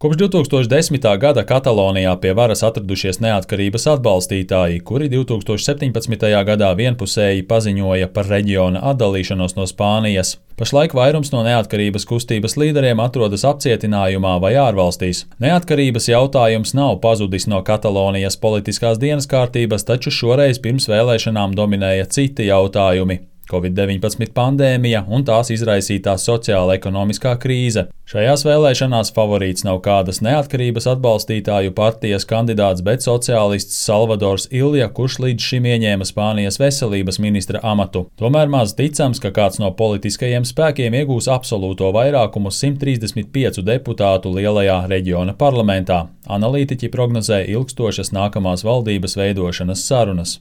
Kopš 2010. gada Katalonijā pie varas atradušies neatkarības atbalstītāji, kuri 2017. gadā vienpusēji paziņoja par reģiona atdalīšanos no Spānijas. Pašlaik vairums no neatkarības kustības līderiem atrodas apcietinājumā vai ārvalstīs. Neatkarības jautājums nav pazudis no Katalonijas politiskās dienas kārtības, taču šoreiz pirms vēlēšanām dominēja citi jautājumi. Covid-19 pandēmija un tās izraisītā sociāla-ekonomiskā krīze. Šajās vēlēšanās favorīts nav kādas neatkarības atbalstītāju partijas kandidāts, bet sociālists Salvadors Ilja, kurš līdz šim ieņēma Spānijas veselības ministra amatu. Tomēr maz ticams, ka kāds no politiskajiem spēkiem iegūs absolūto vairākumu 135 deputātu lielajā reģiona parlamentā. Analītiķi prognozē ilgstošas nākamās valdības veidošanas sarunas.